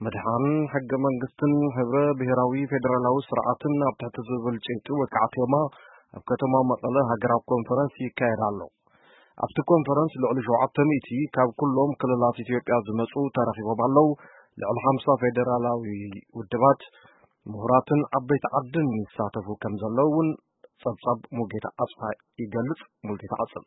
ምድሓን ሕገ መንግስትን ሕብረ ብሔራዊ ፌደራላዊ ስርዓትን ኣብ ትሕቲ ዝብል ጭብጢ ወቃዕቲ ዮማ ኣብ ከተማ መቐለ ሃገራዊ ኮንፈረንስ ይካየድ ኣሎ። ኣብቲ ኮንፈረንስ ልዕሊ ሸውዓተ ሚእቲ ካብ ኩሎም ክልላት ኢትዮጵያ ዝመጹ ተረኺቦም ኣለዉ። ልዕሊ ሓምሳ ፌደራላዊ ውድባት፣ ምሁራትን ዓበይቲ ዓድን ይሳተፉ ከም ዘለዉ እውን ጸብጻብ ሙልጌታ ኣጽፋ ይገልጽ። ሙልጌታ ቀጽል።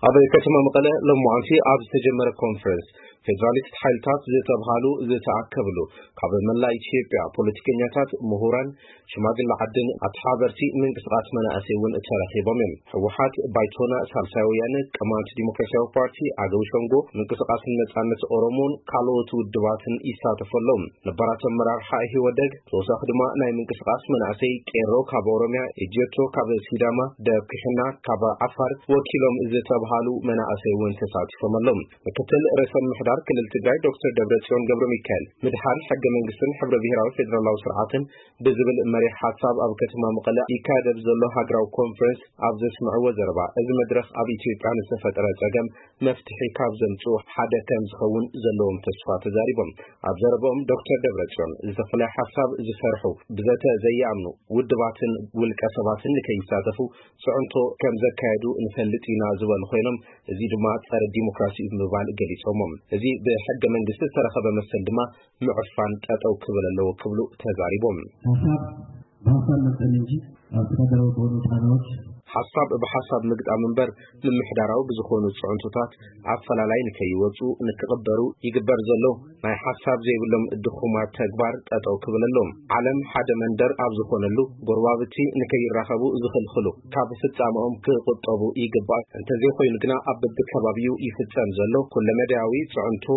ኣብ ከተማ መቐለ ሎማዓንቲ ኣብ ዝተጀመረ ኮንፈረንስ፣ ፌደራሊስት ሓይልታት ዝተብሃሉ ዝተኣከብሉ፣ ካብ መላእ ኢትዮጵያ ፖለቲከኛታት፣ ምሁራን፣ ሽማግለ ዓድን ኣተሓበርቲ ምንቅስቃስ መናእሰይ እውን ተረኺቦም እዮም። ህወሓት፣ ባይቶና፣ ሳልሳይ ወያነ፣ ቅማንት ዲሞክራሲያዊ ፓርቲ፣ ኣገው ሸንጎ፣ ምንቅስቃስ ነጻነት ኦሮሞን ካልኦት ውድባትን ይሳተፉ ኣለዉ። ነባራት ኣመራርሓ ኢህወደግ፣ ተወሳኺ ድማ ናይ ምንቅስቃስ መናእሰይ ቄሮ ካብ ኦሮሚያ፣ ኢጀቶ ካብ ሲዳማ፣ ደብክሕና ካብ ዓፋር ወኪሎም ዝተብሃሉ መናእሰይ እውን ተሳቲፎም ኣለዉ። ምክትል ርእሰ ምምሕዳር ክልል ትግራይ ዶክተር ደብረጽዮን ገብረ ሚካኤል፣ ምድሓን ሕገ መንግስትን ሕብረ ብሔራዊ ፌደራላዊ ስርዓትን ብዝብል መሪሕ ሓሳብ ኣብ ከተማ መቐለ ይካየድ ኣብ ዘሎ ሃገራዊ ኮንፈረንስ ኣብ ዘስምዕዎ ዘረባ፣ እዚ መድረኽ ኣብ ኢትዮጵያ ንዝተፈጠረ ጸገም መፍትሒ ካብ ዘምጽኡ ሓደ ከም ዝኸውን ዘለዎም ተስፋ ተዛሪቦም። ኣብ ዘረባኦም ዶክተር ደብረጽዮን፣ ዝተፈላለየ ሓሳብ ዝሰርሑ፣ ብዘተ ዘይኣምኑ ውድባትን ውልቀ ሰባትን ንከይሳተፉ ጽዕንቶ ከም ዘካየዱ ንፈልጥ ኢና ዝበሉ ኮይኖም፣ እዚ ድማ ጸረ ዲሞክራሲ እዩ ብምባል ገሊጾሞ። እዚ ብሕገ መንግስቲ ዝተረኸበ መሰል ድማ ምዕፋን ጠጠው ክብል ኣለዎ ክብሉ ተዛሪቦም። ሓሳብ ብሓሳብ መጠን እንጂ ኣብ ተፈጥሮ በሆኑ ጫናዎች ሓሳብ ብሓሳብ ምግጣም እምበር፣ ምምሕዳራዊ ብዝኾኑ ጽዕንቶታት ኣፈላላይ ንከይወጹ ንክቕበሩ ይግበር ዘሎ ናይ ሓሳብ ዘይብሎም ድኹማት ተግባር ጠጠው ክብል ኣለዎም። ዓለም ሓደ መንደር ኣብ ዝኾነሉ፣ ጎረባብቲ ንከይራኸቡ ዝኽልኽሉ ካብ ፍጻመኦም ክቑጠቡ ይግባእ። እንተዘይኮይኑ ግና ኣብ በብከባቢኡ ይፍጸም ዘሎ ኩለመዳያዊ ጽዕንቶ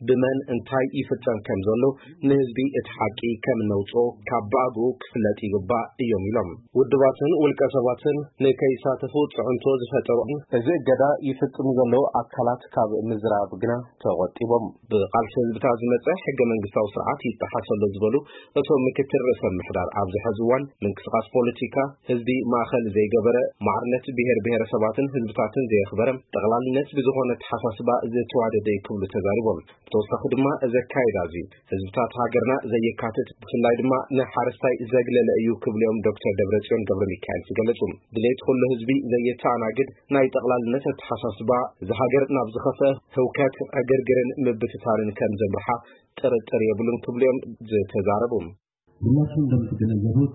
ብመን እንታይ ይፍጸም ከም ዘሎ ንህዝቢ እቲ ሓቂ ከም እነውጽኦ ካብ ብኣግኡ ክፍለጥ ይግባእ እዮም ኢሎም። ውድባትን ውልቀ ሰባትን ንከይሳተፉ ጽዕንቶ ዝፈጠሩ እዚ እገዳ ይፍጽሙ ዘለዉ ኣካላት ካብ ምዝራብ ግና ተቖጢቦም። ብቓልሲ ህዝብታት ዝመጸ ሕገ መንግስታዊ ስርዓት ይጠሓስ ኣሎ ዝበሉ እቶም ምክትል ርእሰ ምምሕዳር፣ ኣብዚ ሕዚ እዋን ምንቅስቃስ ፖለቲካ ህዝቢ ማእኸል ዘይገበረ፣ ማዕርነት ብሄር ብሄረሰባትን ህዝብታትን ዘየኽበረ፣ ጠቕላልነት ብዝኾነ ኣተሓሳስባ ዝተዋደደ እዩ ክብሉ ተዛሪቦም። ብተወሳኺ ድማ እዚ ኣካይዳ እዚ ህዝብታት ሃገርና ዘየካትት፣ ብፍላይ ድማ ንሓረስታይ ዘግለለ እዩ ክብሉ እዮም ዶክተር ደብረጽዮን ገብረ ሚካኤል ዝገለጹ። ድሌት ኩሉ ህዝቢ ዘየተኣናግድ ናይ ጠቕላልነት ኣተሓሳስባ፣ እዚ ሃገር ናብ ዝኸፍአ ህውከት፣ ዕግርግርን ምብትታንን ከም ዘምርሓ ጥርጥር የብሉን ክብሉ እዮም ዝተዛረቡ። ሁላችሁም እንደምትገነዘቡት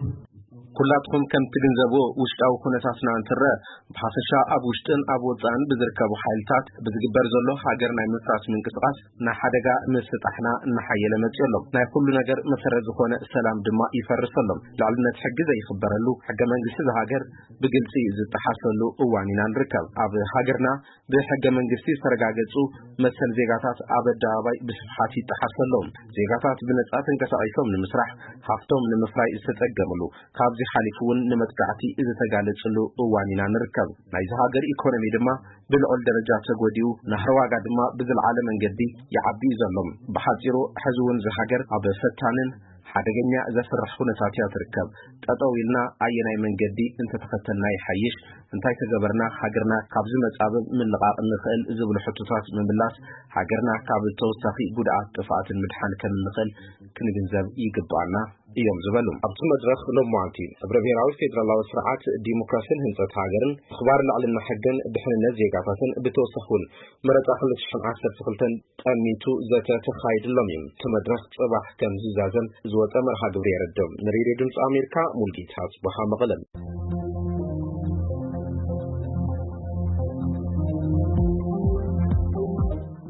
ኩላትኩም ከም ትግንዘብዎ ውሽጣዊ ኩነታትና እንትረአ፣ ብሓፈሻ ኣብ ውሽጥን ኣብ ወጻእን ብዝርከቡ ሓይልታት ብዝግበር ዘሎ ሃገር ናይ ምፍራስ ምንቅስቃስ ናይ ሓደጋ ምስጣሕና እናሓየለ መጺኡ ኣሎ። ናይ ኩሉ ነገር መሰረት ዝኾነ ሰላም ድማ ይፈርስ ኣሎ። ልዕልነት ሕጊ ዘይኽበረሉ፣ ሕገ መንግስቲ ዝሃገር ብግልጺ ዝጠሓሰሉ እዋን ኢና ንርከብ። ኣብ ሃገርና ብሕገ መንግስቲ ዝተረጋገጹ መሰል ዜጋታት ኣብ ኣደባባይ ብስፍሓት ይጠሓሱ ኣለዉ። ዜጋታት ብነጻ ተንቀሳቒሶም ንምስራሕ፣ ሃፍቶም ንምፍራይ ዝተጸገምሉ፣ ካብዚ ሓሊፉ እውን ንመጥቃዕቲ ዝተጋለጽሉ እዋን ኢና ንርከብ። ናይዚ ሃገር ኢኮኖሚ ድማ ብልዑል ደረጃ ተጎዲኡ፣ ናህሪ ዋጋ ድማ ብዝለዓለ መንገዲ ይዓቢ እዩ ዘሎ። ብሓጺሩ፣ ሕዚ እውን እዚ ሃገር ኣብ ፈታንን ሓደገኛ ዘፍርሕ ኩነታት እያ ትርከብ። ጠጠው ኢልና ኣየናይ መንገዲ እንተተኸተልና ይሓይሽ? እንታይ ተገበርና ሃገርና ካብዚ መጻብብ ምልቓቕ እንኽእል ዝብሉ ሕቶታት ምምላስ፣ ሃገርና ካብ ተወሳኺ ጉድኣት ጥፍኣትን ምድሓን ከም እንኽእል ክንግንዘብ ይግባኣና እዮም ዝበሉ። ኣብቲ መድረኽ ሎማዓንቲ ሕብረ ብሔራዊ ፌደራላዊ ስርዓት፣ ዲሞክራሲን ህንጸት ሃገርን፣ ምኽባር ልዕልና ሕግን ድሕንነት ዜጋታትን፣ ብተወሳኺ እውን መረጻ ክልተ ሽሕን ዓሰርተ ክልተን ጠሚቱ ዘተ ተኻይድሎም እዩ። እቲ መድረኽ ጽባሕ ከም ዝዛዘም ዝወጸ መርሃ ግብሪ የረድእ። ንሬድዮ ድምፂ ኣሜሪካ ሙልጌታ ጽቡሃ መቐለም።